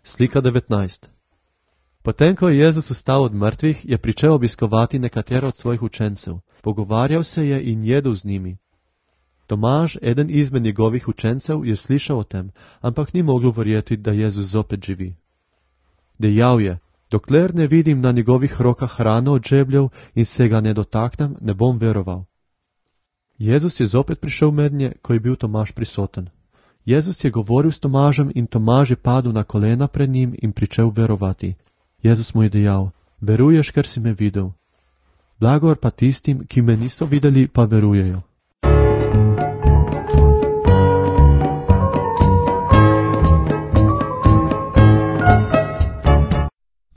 Slika 19. Potem, ko je Jezus vstal od mrtvih, je pričel obiskovati nekatero od svojih učencev. Pogovarjal se je in jedel z njimi. Tomaž, eden izmed njegovih učencev, je slišal o tem, ampak ni mogel verjeti, da Jezus zopet živi. Dejal je: dokler ne vidim na njegovih rokah hrano od žebljev in se ga ne dotaknem, ne bom veroval. Jezus je zopet prišel mednje, ko je bil Tomaž prisoten. Jezus je govoril s Tomažem in Tomaž je padel na kolena pred njim in pričel verovati. Jezus mu je dejal: veruješ, ker si me videl. Blagor pa tistim, ki me niso videli, pa verujejo.